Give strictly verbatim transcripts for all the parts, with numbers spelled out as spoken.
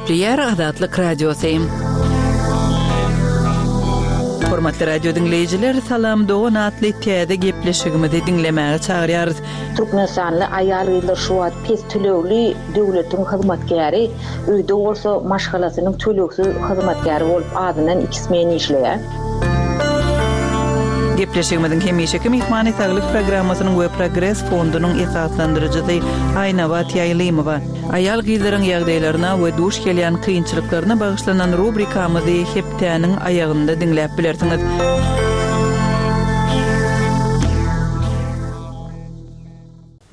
Gepleýär Azatlyk Radiosy. Hormatly radio diňleýjiler, Salam dogan atly täze gepleşigimizi diňlemäge çagyrýarys. Türkmenistanly aýal-gyzlar şu wagt pes tölegli döwletiň hyzmatkäri, öýde bolsa maşgalasynyň tölegsiz hyzmatkäri bolup azyndan iki smen işleýär. Gepleşigimiziň hemişeki myhmany Saglyk programmasynyň we Progres fondunyň esaslandyryjysy Aýnabat Ýaýlymowa. Aýal-gyzlaryň ýagdaýlaryna we duş gelýän kynçylyklaryna bagyşlanan rubrikamyzy hepdäniň aýagynda diňläp bilersiňiz.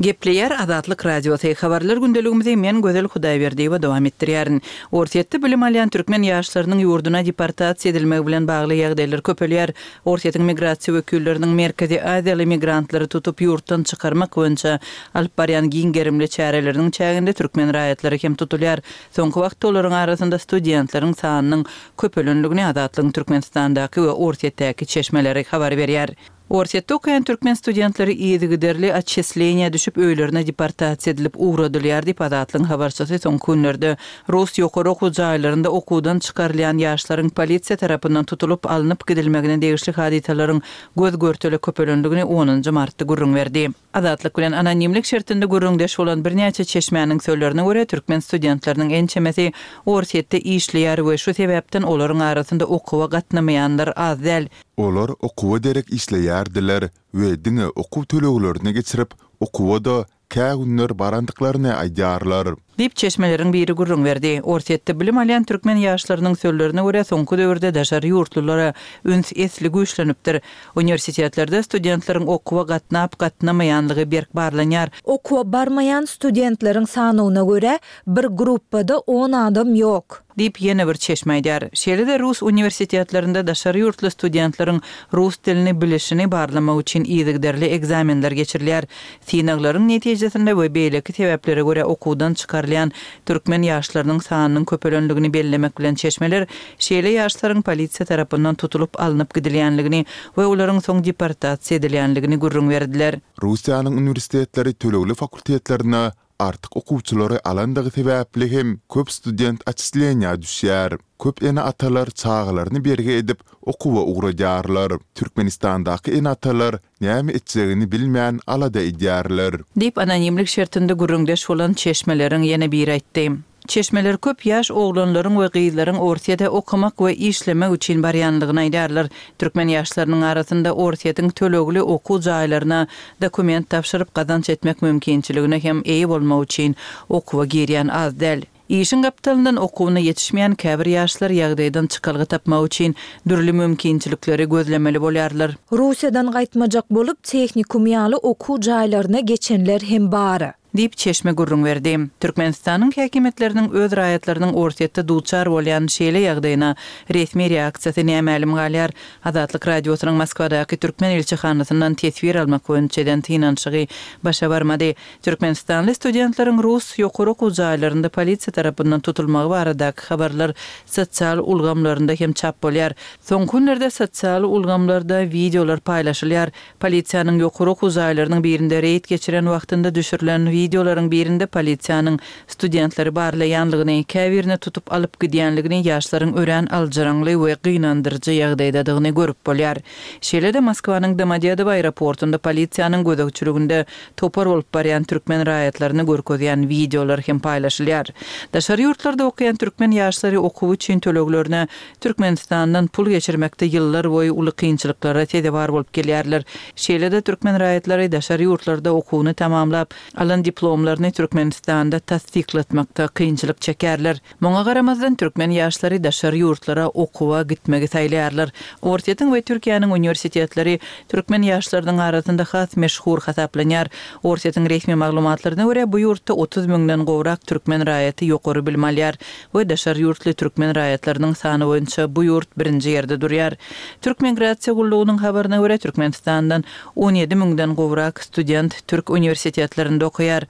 Gepleýär Azatlyk Radiosy. Habarlar gündeligimizi men Gözel Hudaýberdiýewa dowam etdirýärin. Orsýetde bilim alýan türkmen ýaşlarynyň ýurduna deportasiýa edilmegi bilen bagly ýagdaýlar köpelýär. Orsýetiň migrasiýa wekilleriniň Merkezi Aziýaly migrantlary tutup ýurtdan çykarmak boýunça alyp barýan giň gerimli çäreleriniň çäginde türkmen raýatlary hem tutulýar. Soňky wagtda olaryň arasynda studentleriň sanynyň köpelenligini Azatlygyň Türkmenistandaky we Orsýetdäki çeşmeleri habar berýär. Orsýetde okaýan türkmen studentleri yzygiderli otçisleniýä düşüp öýlerine deportasiýa edilip ugradylýar diýip Azatlygyň habarçysy soňky günlerde rus ýokary okuw jaýlarynda okuwdan çykarylýan ýaşlaryň polisiýa tarapyndan tutulyp alnyp gidilmegine degişli hadysalaryň göz görtele köpelenligini onunjy martda gürrüň berdi. Azatlyk bilen anonimlik şertinde gürrüňdeş bolan birnäçe çeşmäniň sözlerine görä türkmen studentleriniň ençemesi Orsýetde işleýär we şu sebäpden olaryň arasynda okuwa gatnamaýanlar az däl. Olar okuwa derek işleýärdiler we diňe okuw töleglerini geçirip, okuwa-da kä günler barandyklaryny aýdýarlar. Diýip çeşmeleriň biri gürrüň berdi. Orsýetde bilim alýan türkmen ýaşlarynyň sözlerine görä soňky döwürde daşary ýurtlulara üns esli güýçlenipdir. Uniwersitetlerde studentleriň okuwa gatnap gatnamaýanlygy berk barlanýar. Okuwa barmaýan studentleriň sanyna görä bir gruppada on adam ýok. Diýip ýene bir çeşme aýdýar. Şeýle-de rus uniwersitetlerinde daşary ýurtly studentleriň rus dilini bilişini barlamak üçin yzygiderli ekzamenler geçirilýär. Synaglaryň netijesinde we beýleki sebäplere görä okuwdan çykarylýan türkmen ýaşlarynyň sanynyň köpelenligini bellemek bilen çeşmeler şeýle ýaşlaryň polisiýa tarapyndan tutulyp alnyp gidilýänligini we olaryň soň deportasiýa edilýänligini gürrüň berdiler. Russiýanyň uniwersitetleri tölegli fakultetlerine artyk okuwçylary alandygy sebäpli hem köp student otçisleniýä düşýär. Köp ene-atalar çagalaryny bergi edip okuwa ugradýarlar. Türkmenistandaky ene-atalar näme etjegini bilmän alada edýärler. Diýip anonimlik şertinde gürrüňdeş bolan çeşmeleriň ýene biri aýtdy. Çeşmeler köp ýaş oglanlaryň we gyzlaryň Orsýete okamak we işlemek üçin barýanlygyny aýdarlar. Türkmen ýaşlarynyň arasynda Orsýetiň tölegli okuw jaýlaryna dokument tabşyryp gazanç etmek mümkinçiligine hem eýe bolmak üçin okuwa girýän az däl. Işiň gapdalyndan okuwyna ýetişmeýän käbir ýaşlar ýagdaýdan çykalga tapmak üçin dürli mümkinçilikleri gözlemeli bolýarlar. Russiýadan gaýtmajak bolup tehnikum ýaly okuw jaýlaryna geçenler hem bar. Diýip çeşme gürrüň berdi. Türkmenistanyň häkimiýetleriniň öz raýatlarynyň Orsýetde duçar bolýan şeýle ýagdaýyna resmi reaksiýasy nämälim galýar. Azatlyk Radiosynyň Moskwadaky türkmen ilçihanasyndan teswir almak boýunça eden synanyşygy başa barmady. Türkmenistanly studentleriň rus ýokary okuw jaýlarynda polisiýa tarapyndan tutulmagy baradaky habarlar sosial ulgamlarynda hem çap bolýar. Soňky günlerde sosial ulgamlarda wideolar paýlaşylýar. Polisiýanyň ýokary okuw jaýlarynyň birinde reýd geçiren wagtynda düşürilen wideolaryň birinde polisiýanyň studentleri barlaýanlygyny, käbirine tutup alyp gidýänligini ýaşlaryň örän aljyraňly we gynandyryjy ýagdaýdadygyny görüp bolýar. Şeýle-de Moskwanyň Domodedowo aeroportunda polisiýanyň gözegçiliginde topar bolup barýan türkmen raýatlaryny görkezýän wideolar hem paýlaşylýar. Daşary ýurtlarda okaýan türkmen ýaşlary okuw üçin töleglerine Türkmenistandan pul geçirmekde ýyllar boýy uly kynçylyklara sezewar bolup gelýärler. Şeýle-de türkmen raýatlary daşary ýurtlarda okuwyny tamamlap, alan diplomlaryny Türkmenistanda tassyklatmakda kynçylyk çekerler. Muňa garamazdan türkmen ýaşlary daşary ýurtlara okuwa gitmegi saýlaýarlar. Orsýetiň we Türkiýäniň uniwersitetleri türkmen ýaşlarynyň arasynda has meşhur hasaplanýar. Orsýetiň resmi maglumatlaryna görä bu ýurtda otuz müňden gowrak türkmen raýaty ýokary bilim alýar we daşary ýurtly türkmen raýatlarynyň sany boýunça bu ýurt birinji ýerde durýar. Türk migrasiýa gullugynyň habaryna görä Türkmenistandan on ýedi müňden gowrak student türk uniwersitetlerinde okaýar.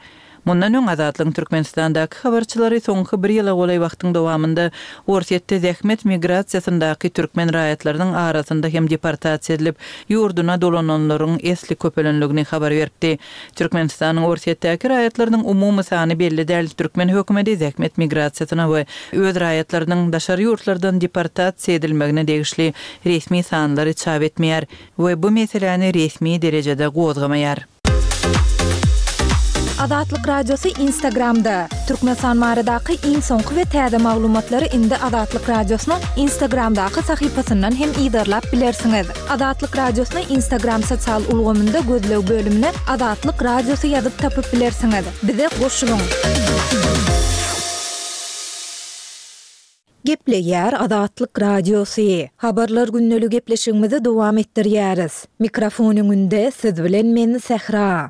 Mundan öň Azatlygyň Türkmenistandaky habarçylary soňky bir ýyla golaý wagtyň dowamynda Orsýetde zähmet migrasiýasyndaky türkmen raýatlarynyň arasynda hem deportasiýa edilip, ýurduna dolananlaryň esli köpelenligini habar beripdi. Türkmenistanyň Orsýetdäki raýatlarynyň umumy sany belli däl. Türkmen hökümeti zähmet migrasiýasyna we öz raýatlarynyň daşary ýurtlardan deportasiýa edilmegine degişli resmi sanlary çap etmeýär we bu meseläni resmi derejede gozgamaýar. Azatlyk Radiosy Instagramda, Türkmenistan baradaky iň soňky we täze maglumatlary indi Azatlyk Radiosynyň Instagramdaky sahypasyndan hem yzarlap bilersiňiz. Azatlyk Radiosyny Instagram sosial ulgamynda gözleg bölümine Azatlyk Radiosy ýazyp tapyp bilersiňiz. Bize goşulyň! Gepleýär Azatlyk Radiosy. Habarlar gündeligi gepleşigimizi dowam etdirýäris. Mikrofon öňünde siz bilen men Sähra.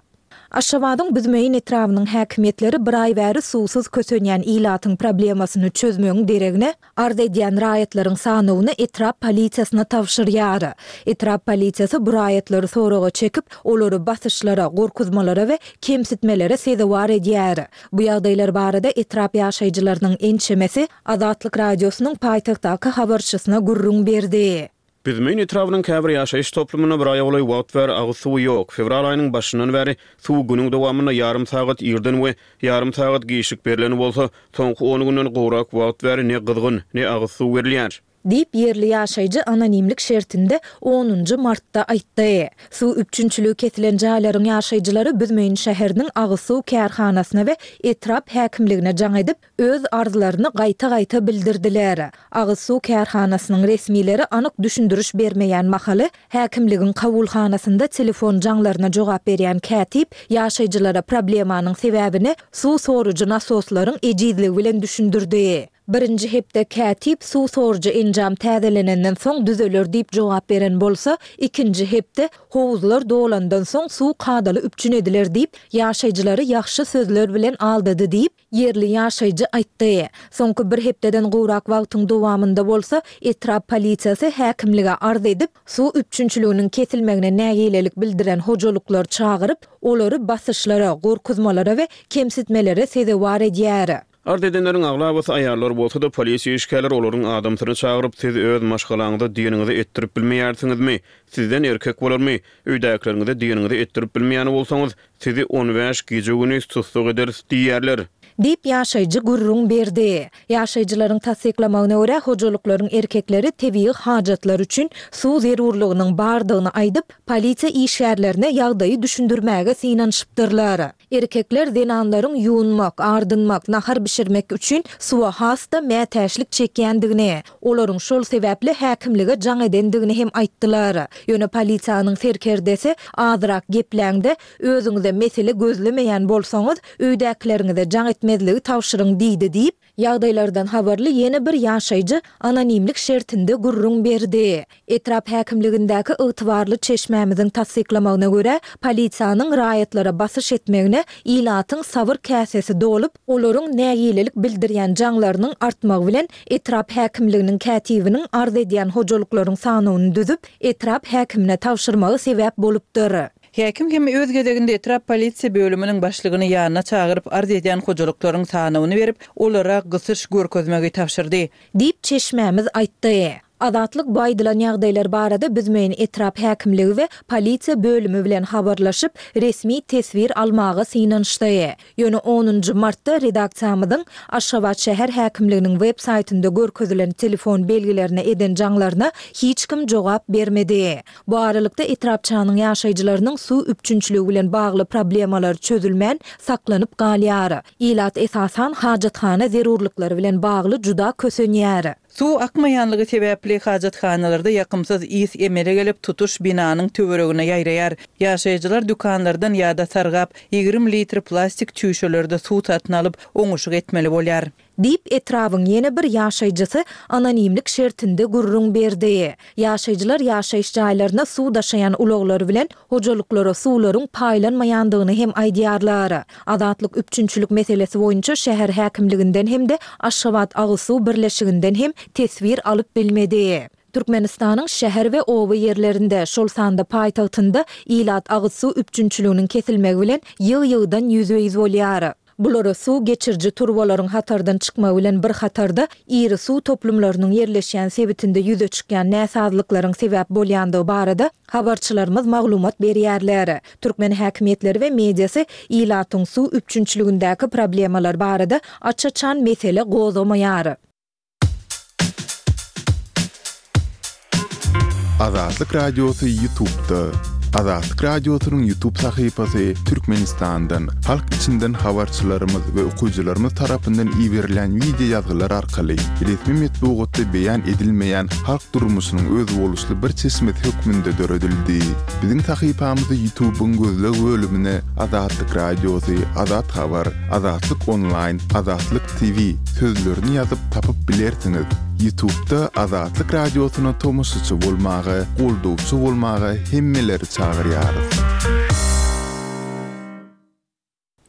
Aşgabadyň Büzmeýin etrabynyň häkimiýetleri bir aý bäri suwsuz kösenýän ilatyň problemasyny çözmegiň deregine, arz edýän raýatlaryň sanawyny etrap polisiýasyna tabşyrýar. Etrap polisiýasy bu raýatlary soraga çekip, olary basyşlara, gorkuzmalara we kemsitmelere sezewar edýär. Bu ýagdaýlar barada etrap ýaşaýjylarynyň ençemesi Azatlyk Radiosynyň paýtagtdaky habarçysyna gürrüň berdi. Büzmeýin etrabynyň käbir ýaşaýyş toplumynda bir aýa golaý wagt bäri agyz suwy ýok. Fewral aýynyň başyndan bäri suw günüň dowamynda ýarym sagat irden we ýarym sagat giçlik berlen bolsa, soňky on günden gowrak wagt bäri ne gyzgyn, ne agyz suw berilýär. Diýip, ýerli ýaşaýjy anonimlik şertinde onunjy martda aýtdy. Suw üpjünçiligi kesilen jaýlaryň ýaşaýjylary Büzmeýin şäheriniň agyz suw kärhanasyna we etrap häkimligine jaň edip, öz arzlaryny gaýta-gaýta bildirdiler. Agyz suw kärhanasynyň resmileri anyk düşündiriş bermeýän mahaly, häkimligiň kabulhanasynda telefon jaňlaryna jogap berýän kätip ýaşaýjylara problemanyň sebäbini suw sorujy nasoslaryň ejizligi bilen düşündirdi. Birinji hepde kätip suw sorujy enjam täzelenenden soň düzeler diýip jogap beren bolsa, ikinji hepde howuzlar dolandan soň suw kadaly üpjün ediler diýip, ýaşaýjylary ýagşy sözler bilen aldady diýip, ýerli ýaşaýjy aýtdy. Soňky bir hepdeden gowrak wagtyň dowamynda bolsa, etrap polisiýasy häkimlige arz edip, suw üpjünçiliginiň kesilmegine nägilelik bildiren hojalyklary çagyryp, olary basyşlara, gorkuzmalara we kemsitmelere sezewar edýär. Arz edenleriň aglabasy aýallar bolsa-da, polisiýa işgärleri olaryň adamsyny çagyryp, siz öz maşgalaňyza diýeniňizi etdirip bilmeýärsiňizmi? Sizden erkek bolarmy? Öýdäkileriňize diýeniňizi etdirip bilmeýän bolsaňyz, sizi on bäş gije-gündiz tussag ederis diýýärler. Diýip, ýaşaýjy gürrüň berdi. Ýaşaýjylaryň tassyklamagyna görä, hojalyklaryň erkekleri tebigy hajatlar üçin suw zerurlygynyň bardygyny aýdyp, polisiýa işgärlerine ýagdaýy düşündirmäge synanyşypdyrlar. Erkekler zenanlaryň ýuwunmak, ardynmak, nahar bişirmek üçin suwa has-da mätäçlik çekýändigini, olaryň şol sebäpli häkimlige jaň edendigini hem aýtdylar. Ýöne polisiýanyň serkerdesi azrak gepläňde, özüňize mesele gözlemeýän bolsaňyz, öýdäkileriňize jaň etmezligi tabşyryň diýdi diýip, ýagdaýlardan habarly ýene bir ýaşaýjy anonimlik şertinde gürrüň berdi. Etrap häkimligindäki ygtybarly çeşmämiziň tassyklamagyna görä, polisiýanyň raýatlara basyş etmegine ilatyň sabyr käsesi dolup, olaryň nägilelik bildirýän jaňlarynyň artmagy bilen etrap häkimliginiň kätibiniň arz edýän hojalyklaryň sanawyny düzüp, etrap häkimine tabşyrmagy sebäp bolupdyr. Häkim hem öz gezeginde etrap polisiýa bölüminiň başlygyny ýanyna çagyryp, arz edýän hojalyklaryň sanawyny berip, olara gysyş görkezmegi tabşyrdy. Diýip, çeşmämiz aýtdy. Azatlyk bu aýdylan ýagdaýlar barada Büzmeýin etrap häkimligi we polisiýa bölümi bilen habarlaşyp, resmi teswir almaga synanyşdy. Ýöne onunjy martda redaksiýamyzyň Aşgabat şäher häkimliginiň web saýtynda görkezilen telefon belgilerine eden jaňlaryna hiç kim jogap bermedi. Bu aralykda etrapçanyň ýaşaýjylarynyň suw üpjünçiligi bilen bagly problemalary çözülmän saklanyp galýar. Ilat esasan hajathana zerurlyklary bilen bagly juda kösenýär. Suw akmaýanlygy sebäpli hajathanalarda ýakymsyz ys emele gelip, tutuş binanyň töweregine ýaýraýar. Ýaşaýjylar dükanlardan ýa-da sargap, ýigrimi litr plastik çüýşelerde suw satyn alyp, oňuşyk etmeli bolýar. Diýip, etrabyň ýene bir ýaşaýjysy anonimlik şertinde gürrüň berdi. Ýaşaýjylar ýaşaýyş jaýlaryna suw daşaýan ulaglar bilen hojalyklara suwlaryň paýlanmaýandygyny hem aýdýarlar. Azatlyk üpjünçilik meselesi boýunça şäher häkimliginden hem-de Aşgabat agyz suw birleşiginden hem teswir alyp bilmedi. Türkmenistanyň şäher we oba ýerlerinde, şol sanda paýtagtynda ilat agyz suw üpjünçiliginiň kesilmegi bilen ýygy-ýygydan ýüzbe-ýüz bolýar. Bulara suw geçiriji turbalaryň hatardan çykmagy bilen bir hatarda, iri suw toplumlarynyň ýerleşýän sebitinde ýüze çykýan näsazlyklaryň sebäp bolýandygy barada habarçylarymyz maglumat berýärler. Türkmen häkimiýetleri we mediasy ilatyň suw üpjünçiligindäki problemalar barada aç-açan mesele gozgamaýar. Azatlyk Radiosy Ýutubda. Azatlyk Radiosynyň Ýutub sahypasy Türkmenistandan, halk içinden habarçylarymyz we okyjylarymyz tarapyndan iberilen wideo ýazgylar arkaly resmi metbugatda beýan edilmeýän halk durmuşynyň özboluşly bir çeşmesi hökmünde döredildi. Biziň sahypamyzy Ýutubyň gözleg bölümine Azatlyk Radiosy, Azat Habar, Azatlyk Onlaýn, Azatlyk TV sözlerini ýazyp tapyp bilersiňiz. Ýutubda Azatlyk Radiosyna tomaşaçy bolmaga, goldawçy bolmaga hemmeleri çagyrýarys.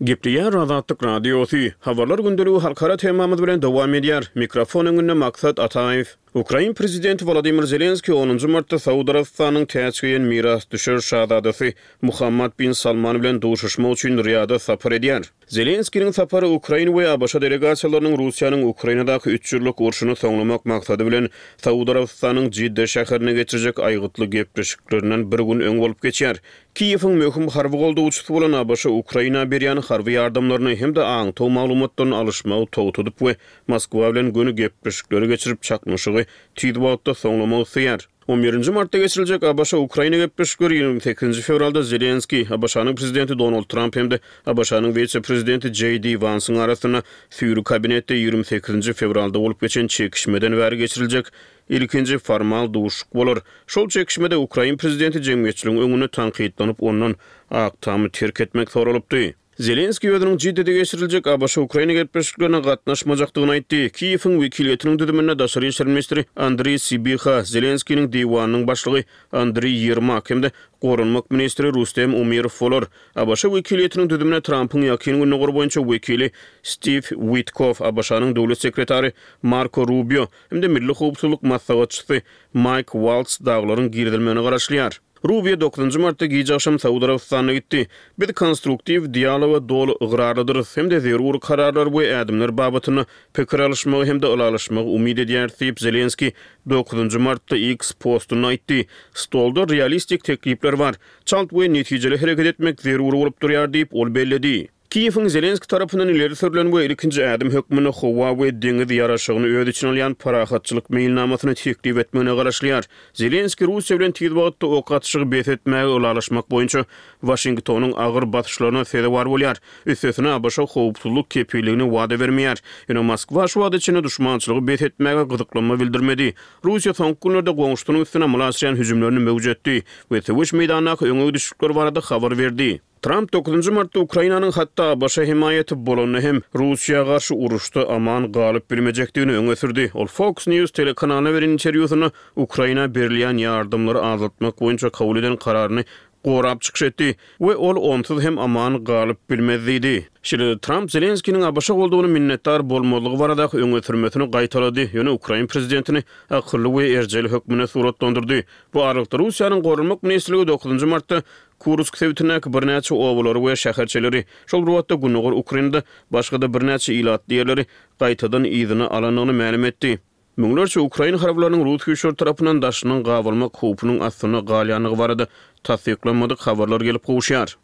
Gepleýär Azatlyk Radiosy. Habarlar gündeligi halkara temamyz bilen dowam edýär. Mikrofon öňünde Maksat Ataýew. Ukrain prezidenti Wolodymyr Zelenskiý onunjy martda Saud Arabystanynyň täç geýen mirasdüşer şazadasy Muhammad bin Salman bilen duşuşmak üçin Riýada sapar edýär. Zelenskiniň sapary ukrain we ABŞ delegasiýalarynyň Russiýanyň Ukrainadaky üç ýyllyk urşuny soňlamak maksady bilen Saud Arabystanynyň Jidde şäherinde geçirjek aýgytly gepleşiklerinden bir gün öň bolup geçýär. Kiýewiň möhüm harby goldawçysy bolan ABŞ Ukraina berýän harby ýardamlaryny hem-de aňtaw maglumatlaryny alyşmagy togtadyp we Moskwa bilen göni gepleşikleri geçirip, çaknyşygy tiz wagtda soňlamak isleýär. On birinji martda geçiriljek ABŞ-Ukraina gepleşikleri ýigrimi sekizinji fewralda Zelenskiý, ABŞ-nyň prezidenti Donald Tramp hem-de ABŞ-nyň wise-prezidenti Jeý Di Wansyň arasynda süýri kabinetde ýigrimi sekizinji fewralda bolup geçen çekişmeden bäri geçiriljek ilkinji formal duşuşyk bolar. Şol çekişmede ukrain prezidenti jemgyýetçiligiň öňünde tankytlanyp, ondan Ak Tamy terk etmek soralypdy. Zelenskiý özüniň Jiddede geçiriljek ABŞ-Ukraina gepleşiklerine gatnaşmajakdygyny aýtdy. Kiýewiň wekiliýetiniň düzüminde daşary işler ministri Andriý Sybiha, Zelenskiniň diwanynyň başlygy Andriý Ýermak hem-de goranmak ministri Rustem Umerow bolar. ABŞ wekiliýetiniň düzümine Trampyň Ýakyn Gündogar boýunça wekili Stiw Witkoff, ABŞ-nyň döwlet sekretary Marko Rubio hem-de milli howpsuzlyk maslahatçysy Maýk Waltz dagylaryň girizilmegine garaşylýar. Rubio dokuzynjy martda gije agşam Saud Arabystanyna gitdi. Biz konstruktiw dialoga doly ygrarlydyrys hem-de zerur kararlar we ädimler babatynda pikir alyşmagy hem-de ylalaşmagy umyt edýäris diýip, Zelenskiý dokuzynjy martda X postunda aýtdy. Stolda realistik teklipler bar. Çalt we netijeli hereket etmek zerur bolup durýar diýip, ol belledi. Kiýewiň Zelenskiý tarapyndan ileri sürlen we ilkinji ädim hökmünde howa we deňiz ýaraşygyny öz içine alýan parahatçylyk meýilnamasyny teklip etmegine garaşylýar. Zelenskiý Russiýa bilen tiz wagtda ok atyşygy bes etmäge ylalaşmak boýunça Waşingtonyň agyr basyşlaryna sezewar bolýar. Üstesine, ABŞ howpsuzlyk kepilligini wada bermeýär. Ýöne Moskwa şu wagta çenli duşmançylygy bes etmäge gyzyklanma bildirmedi. Russiýa soňky günlerde goňşusynyň üstüne amala aşyrýan hüjümlerini möwjetdi we söweş meýdanyndaky öňe gidişlikler barada habar berdi. Tramp dokuzynjy martda Ukrainanyň hatda ABŞ hemaýaty bolanda hem Russiýa garşy uruşda aman galyp bilmejekdigini öňe sürdi. Ol Fox News telekanalyna beren interwýusynda Ukraina berilýän ýardamlary azaltmak boýunça kabul eden kararyny gorap çykyş etdi we ol onsuz hem aman galyp bilmez diýdi. Şeýle-de Tramp Zelenskiniň ABŞ goldawyna minnetdar bolmazlygy baradaky öňe sürmesini gaýtalady, ýöne ukrain prezidentini akylly we erjel hökmünde suratlandyrdy. Bu aralykda Russiýanyň Goranmak ministrligi dokuzynjy martda Kursk sebitindäki birnäçe obalary we şäherçeleri, şol bir wagtda gündogar Ukrainada başga-da birnäçe ilatly ýerleri gaýtadan yzyna alandygyny mälim etdi. Müňlerçe ukrain harbylarynyň rus güýçleri tarapyndan daşyndan gabalmak howpunyň astynda galýandygy barada tassyklanmadyk habarlar gelip gowuşýar.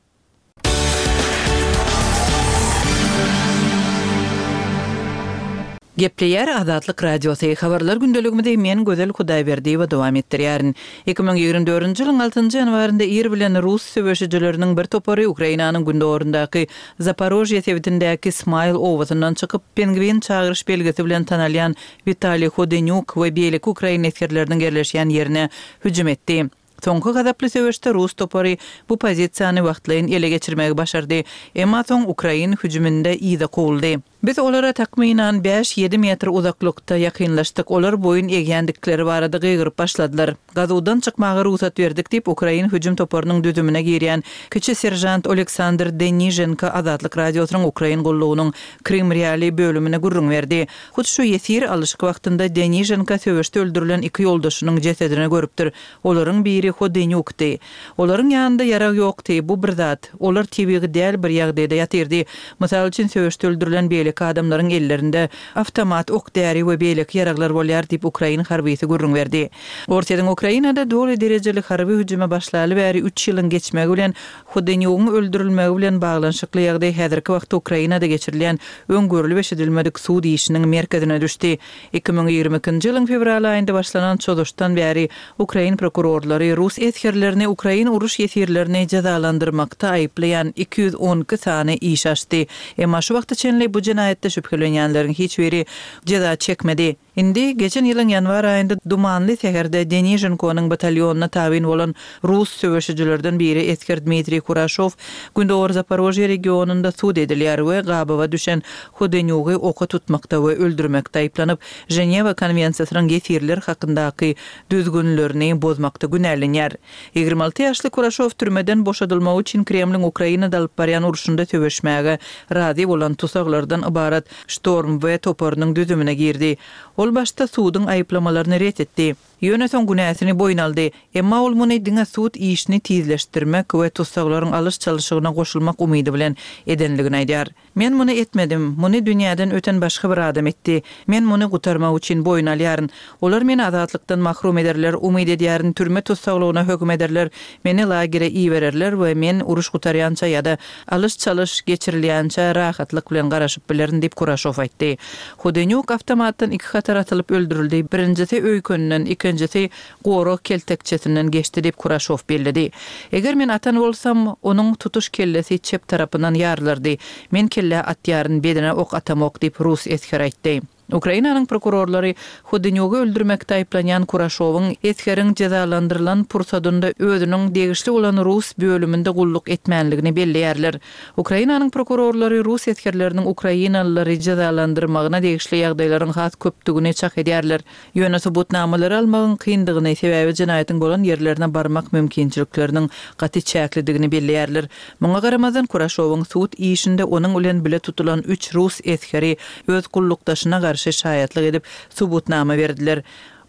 Gepleýär Azatlyk Radiosy, Habarlar gündeligimizi men Gözel Hudaýberdiýewa dowam etdirýärin. Iki müň ýigrimi dördünji ýylyň altynjy ýanwarynda ir bilen rus söweşijileriniň bir topary Ukrainanyň gündogaryndaky Zaporožýe sebitindäki Smaýl obasyndan çykyp, Pengwin çagyryş belgisi bilen tanalýan Witaliý Hodenýuk we beýleki ukrain esgerleriniň ýerleşýän ýerine hüjüm etdi. Soňky gazaply söweşde rus topary bu pozisiýany wagtlaýyn ele geçirmegi başardy, emma soň ukrain hüjüminde yza kowuldy. Biz olara takmynan bäş-ýedi metr uzaklykda ýakynlaşdyk, olar boýun egýändikleri barada gygyryp başladylar. Gazuwdan çykmaga rugsat berdik diýip, ukrain hüjüm toparynyň düzümine girýän kiçi seržant Oleksandr Deniženko Azatlyk Radiosynyň Ukrain gullugynyň Krym Realiý bölümine gürrüň berdi. Hut şu ýesir alyşyk wagtynda Deniženko söweşde öldürilen iki ýoldaşynyň jesedini görüpdir. Olaryň biri Hodenýukdy. Olaryň ýanynda ýarag ýokdy, bu bir zat. Olar tebigy däl bir ýagdaýda ýatyrdy. Mysal üçin, söweşde öldürilen beýleki adamlaryň ellerinde awtomat, ok-däri we beýleki ýaraglar bolýar diýip, ukrain harbysy gürrüň berdi. Orsýetiň Ukrainada doly derejeli harby hüjüme başlaly bäri üç ýylyň geçmegi bilen Hodenýugyň öldürilmegi bilen baglanyşykly ýagdaý häzirki wagtda Ukrainada geçirilýän öň görlüp-eşidilmedik sud işiniň merkezine düşdi. Iki müň ýigrimi ikinji ýylyň fewral aýynda başlanan çozuşdan bäri ukrain prokurorlary rus esgerlerini ukrain uruş ýesirlerini jezalandyrmakda aýyplaýan iki ýüz on iki sany iş açdy. Emma şu wagta çenli bu jenaýatda şübhelenýänleriň hiç biri jeza çekmedi. Indi, geçen ýylyň ýanwar aýynda dumanly säherde Deniženkonyň batalýonyna tabyn bolan rus söweşijilerden biri esger Dmitriý Kuraşow Gündogar Zaporožýe regionynda sud edilýär we gabawa düşen Hodenýugy oka tutmakda we öldürmekde aýyplanyp, Ženewa konwensiýasynyň ýesirler hakyndaky düzgünlerini bozmakda günälenýär. Ýigrimi alty ýaşly Kuraşow türmeden boşadylmagy üçin Kremliň Ukrainada alyp barýan urşunda söweşmäge razy bolan tusaglardan ybarat Ştorm-W toparynyň düzümine girdi. Ol başda suduň aýyplamalaryny ret etdi. Ýöne soň günäsini boýun aldy. Emma ol muny diňe sud işini tizleşdirmek we tussaglaryň alyş-çalşygyna goşulmak umydy bilen edenligini aýdýar. Men muny etmedim. Muny dünýäden öten başga bir adam etdi. Men muny gutarmak üçin boýun alýaryn. Olar meni azatlykdan mahrum ederler, umyt edýärin, türme tussaglygyna höküm ederler, meni lagere ibererler we men uruş gutarýança ýa-da alyş-çalyş geçirilýänçä rahatlyk bilen garaşyp bilerin diýip, Kuraşow aýtdy. Hudenýuk awtomatdan iki hatar atylyp öldürildi, birinjisi öýkeninden, ikinjisi gorag keltekçesinden geçdi diýip, Kuraşow belledi. Eger men atan bolsam, onuň tutuş kellesi çep tarapyndan ýarylardy. Men kellä atýaryn, bedene ok atamok diýip, rus esgeri aýtdy. Ukrainanyň prokurorlary Hudenýugy öldürmekde aýyplanýan Kuraşowyň esgeriň jezalandyrylan pursadynda özüniň degişli bolan rus bölüminde gulluk etmänligini belleýärler. Ukrainanyň prokurorlary rus esgerleriniň ukrainalylary jezalandyrmagyna degişli ýagdaýlaryň has köpdügini çak edýärler. Ýöne subutnamalary almagyň kyndygyny, sebäbi jenaýatyň bolan ýerlerine barmak mümkinçilikleriniň gaty çäklidigini belleýärler. Muňa garamazdan, Kuraşowyň sud işinde onuň bilen bile tutulan üç rus esgeri öz gullukdaşyna garşy şaýatlyk edip, subutnama berdiler.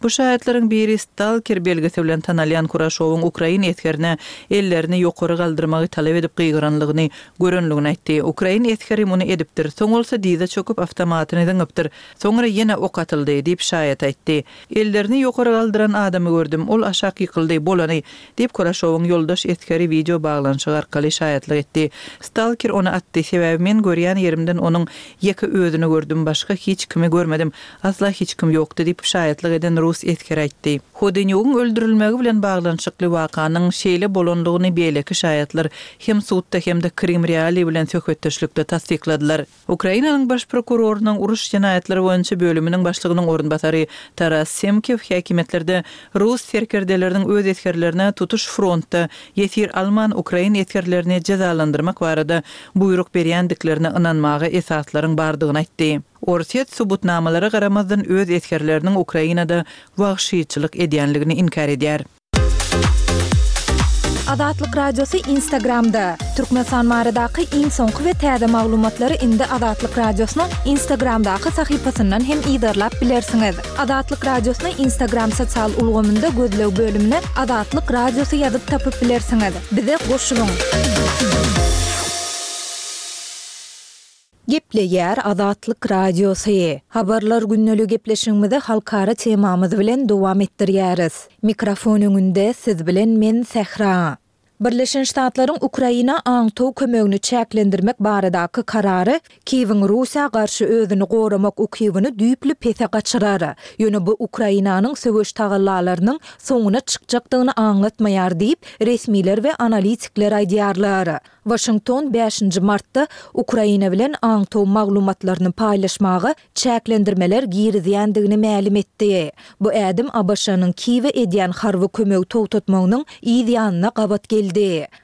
Bu şaýatlaryň biri Stalker belgisi bilen tanalýan Kuraşowyň ukrain esgerine ellerini ýokary galdyrmagy talap edip gygyranlygyny görenligini aýtdy. Ukrain esgeri muny edipdir, soň bolsa dyza çöküp awtomatyny zyňypdyr. Soňra ýene ok atyldy, diýip, şaýat aýtdy. Ellerini ýokary galdyran adamy gördüm, ol aşak ýykyldy, bolany, diýip, Kuraşowyň ýoldaş esgeri wideo baglanyşyk arkaly şaýatlyk etdi. Stalker ony atdy, sebäbi men görýän ýerimden onuň ýeke özüni gördüm, başga hiç kimi görmedim, asla hiç kim ýokdy, diýip, şaýatlyk eden rus esgeri aýtdy. Hodenýugyň öldürilmegi bilen baglanyşykly wakanyň şeýle bolandygyny beýleki şaýatlar hem sudda hem-de Krym Realiý bilen söhbetdeşlikde tassykladylar. Ukrainanyň Baş prokurorynyň uruş jenaýatlary boýunça bölüminiň başlygynyň orunbasary Taras Semkiw häkimiýetlerde rus serkerdeleriniň öz esgerlerine tutuş frontda ýesir alman ukrain esgerlerini jezalandyrmak barada buýruk berýändiklerine ynanmaga esaslaryň bardygyny aýtdy. Orsýet subutnamalara garamazdan öz esgerleriniň Ukrainada wagşyçylyk edýänligini inkär edýär. Azatlyk Radiosy Instagramda, Türkmenistan baradaky iň soňky we täze maglumatlary indi Azatlyk Radiosynyň Instagramdaky sahypasyndan hem yzarlap bilersiňiz. Azatlyk Radiosyny Instagram sosial ulgamynda gözleg bölümine Azatlyk Radiosy ýazyp tapyp bilersiňiz. Bize goşulyň! Gepleýär Azatlyk Radiosy. Habarlar gündeligi gepleşigimizi halkara temamyz bilen dowam etdirýäris. Mikrofon öňünde siz bilen men Sähra. Birleşen Ştatlaryň Ukraina aňtaw kömegini çäklendirmek baradaky karary Kiýewiň Russiýa garşy özüni goramak ukybyny düýpli pese gaçyrar. Ýöne bu Ukrainanyň söweş tagallalarynyň soňuna çykjakdygyny aňlatmaýar diýip, resmiler we analitikler aýdýarlar. Waşington bäşinji martda Ukraina bilen aňtaw maglumatlaryny paýlaşmaga çäklendirmeler girizýändigini mälim etdi. Bu ädim ABŞ-nyň Kiýewe edýän harby kömegi togtatmagynyň yz ýanyna gabat geldi.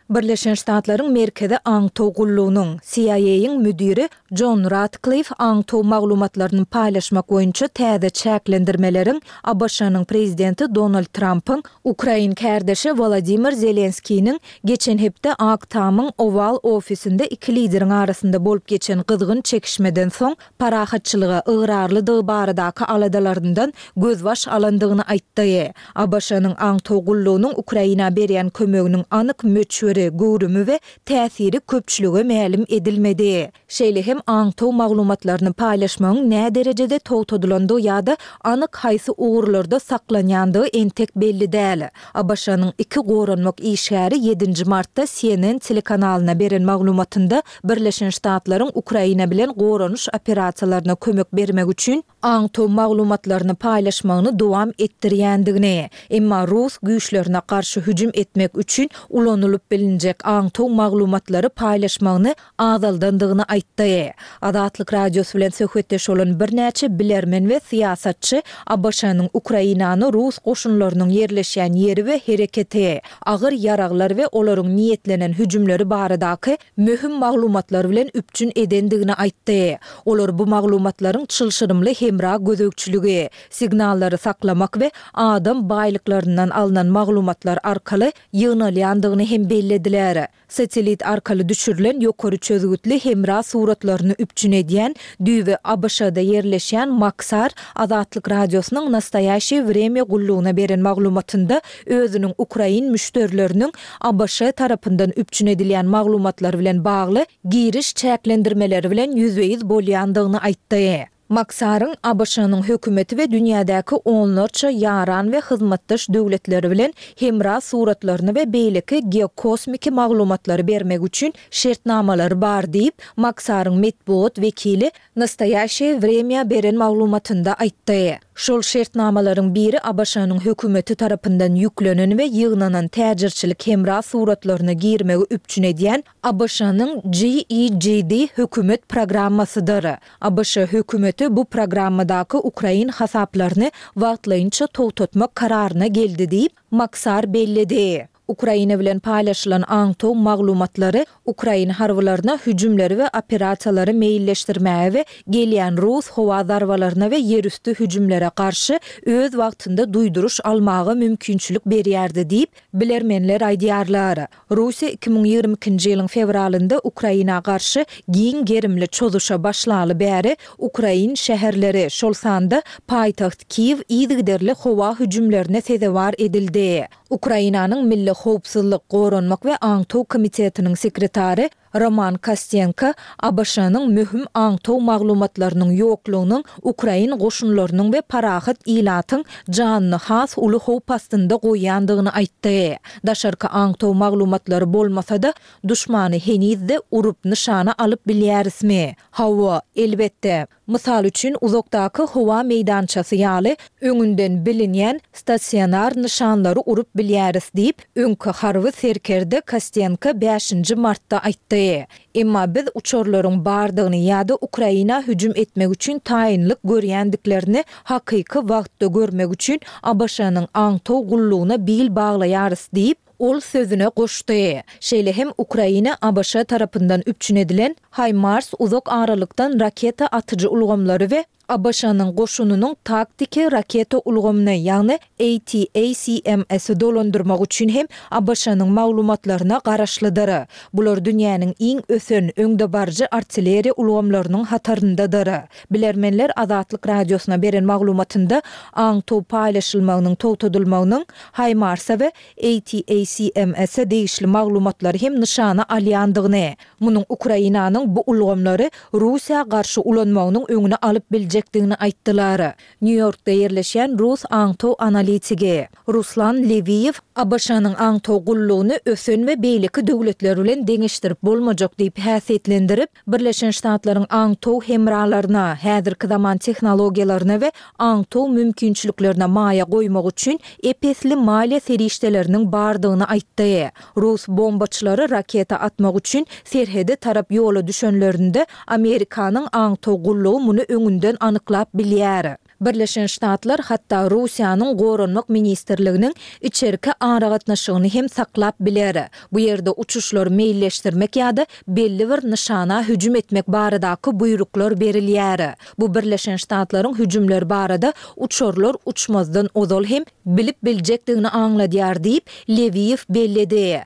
Birleşen Ştatlaryň Merkezi aňtaw gullugynyň, C I A-yň müdiri Jon Ratklif aňtaw maglumatlaryny paýlaşmak boýunça täze çäklendirmeleriň A B Ş-nyň prezidenti Donald Trampyň ukrain kärdeşi Wolodimir Zelenskiniň geçen hepde Ak Tamyň Oval ofisinde iki lideriň arasynda bolup geçen gyzgyn çekişmeden soň parahatçylyga ygrarlydygy baradaky aladalaryndan gözbaş alandygyny aýtdy. A B Ş-nyň aňtaw gullugynyň Ukraina berýän kömeginiň anyk möçberi, göwrümi we täsiri köpçülige mälim edilmedi. Şeýle hem aňtaw maglumatlaryny paýlaşmagyň nä derejede togtadylandygy ýa-da anyk haýsy ugurlarda saklanýandygy entek belli däl. A B Ş-nyň iki goranmak işgäri ýedinji martda C N N telekanalyna beren maglumatynda Birleşen Ştatlaryň Ukraina bilen goranyş operasiýalaryna kömek bermek üçin aňtaw maglumatlaryny paýlaşmagyny dowam etdirýändigini, emma rus güýçlerine garşy hüjüm etmek üçin ulanylyp bilinjek aňtaw maglumatlary paýlaşmagyny azaldandygyny aýtdy. Azatlyk Radiosy bilen söhbetdeş bolan birnäçe bilermen we syýasatçy A B Ş-nyň Ukrainany rus goşunlarynyň ýerleşýän ýeri we hereketi, agyr ýaraglar we olaryň niýetlenen hüjümleri baradaky möhüm maglumatlar bilen üpjün edendigini aýtdy. Olar bu maglumatlaryň çylşyrymly hemra gözegçiligi, signallary saklamak we adam baýlyklaryndan alnan maglumatlar arkaly ýygnalýandygyny hem bellediler. Satellit arkaly düşürilen ýokary çözgütli hemra suratlaryny üpjün edýän düýbi A B Ş-da ýerleşýän Maxar Azatlyk Radiosynyň Nastoýaşeýe Wremýa gullugyna beren maglumatynda özüniň ukrain müşderileriniň A B Ş tarapyndan üpjün edilýän maglumatlar bilen bagly giriş çäklendirmeleri bilen ýüzbe-ýüz bolýandygyny aýtdy. Maxaryň A B Ş-nyň hökümeti we dünýädäki onlarça ýaran we hyzmatdaş döwletleri bilen hemra suratlaryny we beýleki geokosmiki maglumatlary bermek üçin şertnamalary bar diýip, Maxaryň metbugat wekili Nastoýaşeýe Wremýa beren maglumatynda aýtdy. Şol şertnamalaryň biri A B Ş-nyň hökümeti tarapyndan ýüklenen we ýygnanan täjirçilik hemra suratlaryna girmegi üpjün edýän A B Ş-nyň G E G D hökümet programmasydyr. A B Ş hökümeti bu programmadaky ukrain hasaplaryny wagtlaýynça togtatmak kararyna geldi diýip, Maxar belledi. Ukraina bilen paýlaşylan aňtaw maglumatlary ukrain harbylaryna hüjümleri we operasiýalary meýilleşdirmäge we gelýän rus howa zarbalaryna we ýerüsti hüjümlere garşy öz wagtynda duýduryş almaga mümkinçilik berýärdi diýip, bilermenler aýdýarlar. Russiýa iki müň ýigrimi ikinji ýylyň fewralynda Ukraina garşy giň gerimli çozuşa başlaly bäri ukrain şäherleri, şol sanda paýtagt Kiýew yzygiderli howa hüjümlerine sezewar edildi. Ukrainanyň Milli howpsuzlyk, goranmak we aňtaw komitetiniň sekretary Roman Kostenko A B Ş-nyň möhüm aňtaw maglumatlarynyň ýoklugynyň ukrain goşunlarynyň we parahat ilatyň janyny has uly howp astynda goýýandygyny aýtdy. Daşarky aňtaw maglumatlary bolmasa-da, duşmany heniz-de urup nyşana alyp bilýärismi? Hawa, elbetde. Mysal üçin, uzakdaky howa meýdançasy ýaly öňünden bilinýän stasionar nyşanlary urup bilýäris diýip, öňki harby serkerde Kostenko bäşinji martda aýtdy. Emma biz uçarlaryň bardygyny ýa-da Ukraina hüjüm etmek üçin taýynlyk görýändiklerini hakyky wagtda görmek üçin A B Ş-nyň aňtaw gullugyna bil baglaýarys diýip, ol sözüne goşdy. Şeýle hem Ukraina A B Ş tarapyndan üpjün edilen HIMARS uzak aralykdan raketa atyjy ulgamlary we A B Ş-nyň goşunynyň taktiki raketa ulgamyny, ýagny A T A C M S-i dolandyrmak üçin hem A B Ş-nyň maglumatlaryna garaşlydyr. Bular dünýäniň iň ösen, öňdebaryjy artilleriýa ulgamlarynyň hataryndadyr. Bilermenler Azatlyk Radiosyna beren maglumatynda aňtaw paýlaşylmagynyň togtadylmagynyň HIMARS-a we A T A C M S-e degişli maglumatlary hem nyşana alýandygyny, munuň Ukrainanyň bu ulgamlary Russiýa garşy ulanmagynyň öňüni alyp biljekdigini aýtdylar. Nýu-Ýorkda ýerleşýän rus aňtaw analitigi Ruslan Lewiýew A B Ş-nyň aňtaw gullugyny ösen we beýleki döwletler bilen deňeşdirip bolmajak diýip häsiýetlendirip, Birleşen Ştatlaryň aňtaw hemralaryna, häzirki zaman tehnologiýalaryna we aňtaw mümkinçiliklerine maýa goýmak üçin ep-esli maliýe serişdeleriniň bardygyny aýtdy. Rus bombaçylary raketa atmak üçin serhede tarap ýola düşenlerinde Amerikanyň aňtaw gullugy muny öňünden anyklap bilýär. Birleşen Ştatlar hatda Russiýanyň Goranmak ministrliginiň içerki aragatnaşygyny hem saklap biler. Bu ýerde uçuşlary meýilleşdirmek ýa-da belli bir nyşana hüjüm etmek baradaky buýruklar berilýär. Bu Birleşen Ştatlaryň hüjümler barada uçarlar uçmazdan ozal hem bilip biljekdigini aňladýar diýip, Lewiýew belledi.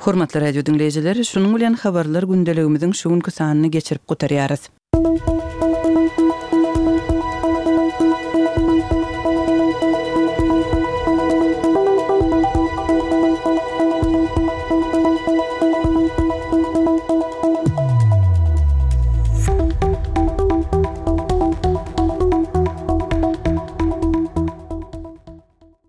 Hormatly radio diňleýjiler, şunuň bilen habarlar gündeligimiziň şu günki sanyny geçirip gutarýarys.